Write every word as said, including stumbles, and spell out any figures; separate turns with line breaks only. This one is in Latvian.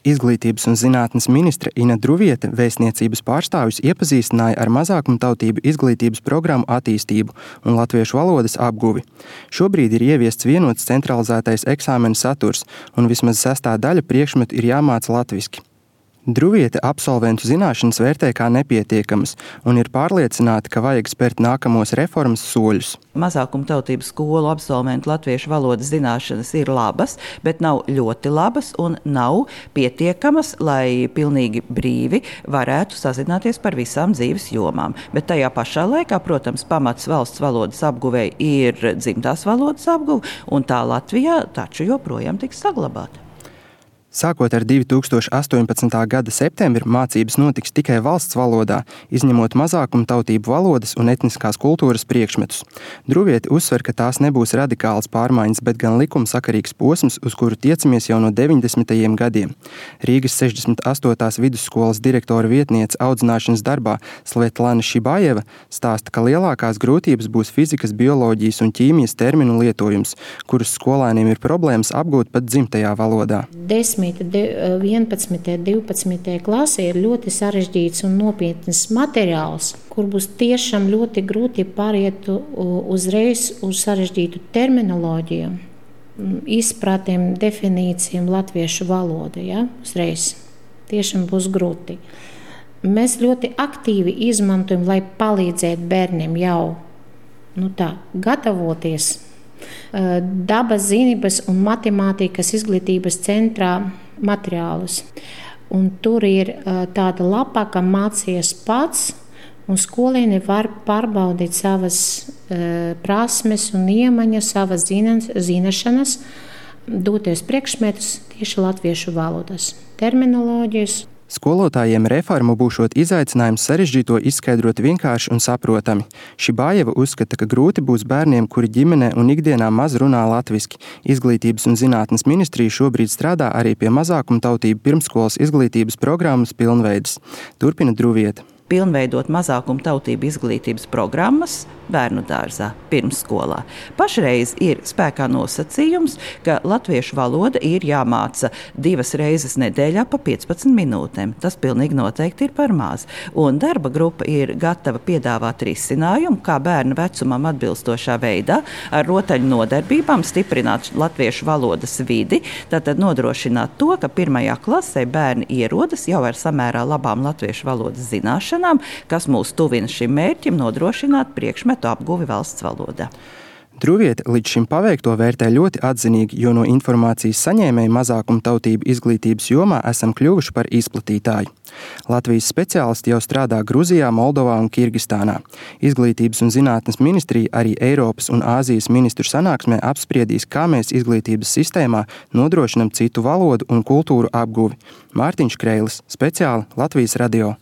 Izglītības un zinātnes ministre Ina Druviete vēstniecības pārstāvjus iepazīstināja ar mazākumtautību izglītības programmu attīstību un latviešu valodas apguvi. Šobrīd ir ieviests vienots centralizētais eksāmenu saturs, un vismaz sestā daļa priekšmetu ir jāmāca latviski. Druviete absolventu zināšanas vērtē kā nepietiekamas un ir pārliecināta, ka vajag spērt nākamos reformas soļus.
Mazākumtautību skolu absolventu latviešu valodas zināšanas ir labas, bet nav ļoti labas un nav pietiekamas, lai pilnīgi brīvi varētu sazināties par visām dzīves jomām. Bet tajā pašā laikā, protams, pamats valsts valodas apguvēji ir dzimtās valodas apguve, un tā Latvijā taču joprojām tiks saglabāta.
Sākot ar divi tūkstoši astoņpadsmitā gada septembri mācības notiks tikai valsts valodā, izņemot mazākumtautību valodas un etniskās kultūras priekšmetus. Druviete uzsver, ka tās nebūs radikālas pārmaiņas, bet gan likumsakarīgs posms, uz kuru tiecamies jau no deviņdesmitajiem gadiem. Rīgas sešdesmit astotās vidusskolas direktora vietniece audzināšanas darbā Svetlana Šibājeva stāsta, ka lielākās grūtības būs fizikas, bioloģijas un ķīmijas terminu lietojums, kurus skolēniem ir problēmas apgūt pat dzimtajā valodā.
vienpadsmitajā, divpadsmitajā klasē ir ļoti sarežģīts un nopietns materiāls, kur būs tiešām ļoti grūti pāriet uzreiz uz sarežģītu terminoloģiju, izpratēm, definīcijām latviešu valoda. Ja? Uzreiz tiešām būs grūti. Mēs ļoti aktīvi izmantojam, lai palīdzētu bērniem jau nu tā, gatavoties dabas zinības un matemātikas izglītības centrā materiālus. Un tur ir tāda lapa, ka mācies pats, un skolēni var pārbaudīt savas uh, prasmes un iemaņas, savas zināšanas, doties priekšmetus tieši latviešu valodas, terminoloģijas.
Skolotājiem reformu būšot izaicinājums sarežģīto izskaidrot vienkārši un saprotami. Šibājeva uzskata, ka grūti būs bērniem, kuri ģimenē un ikdienā maz runā latviski. Izglītības un zinātnes ministrija šobrīd strādā arī pie mazākumtautību pirmsskolas izglītības programmas pilnveides. Turpina Druviete.
Pilnveidot mazākumtautību izglītības programmas bērnu dārzā, pirmsskolā. Pašreiz ir spēkā nosacījums, ka latviešu valoda ir jāmāca divas reizes nedēļā pa piecpadsmit minūtēm. Tas pilnīgi noteikti ir par maz. Un darba grupa ir gatava piedāvāt risinājumu, kā bērnu vecumam atbilstošā veidā ar rotaļu nodarbībām stiprināt latviešu valodas vidi, tātad nodrošināt to, ka pirmajā klasē bērni ierodas jau ar samērā labām latviešu valodas zināšanām, kas mūs tuvina šim mērķim nodrošināt priekšmetu apguvi valsts valodā.
Druviete līdz šim paveikto vērtē ļoti atzinīgi, jo no informācijas saņēmēju mazākumtautību izglītības jomā esam kļuvuši par izplatītāju. Latvijas speciālisti jau strādā Gruzijā, Moldovā un Kirgistānā. Izglītības un zinātnes ministrija arī Eiropas un Āzijas ministru sanāksmē apspriedīs, kā mēs izglītības sistēmā nodrošinam citu valodu un kultūru apguvi. Mārtiņš Kreilis, speciāli Latvijas radio.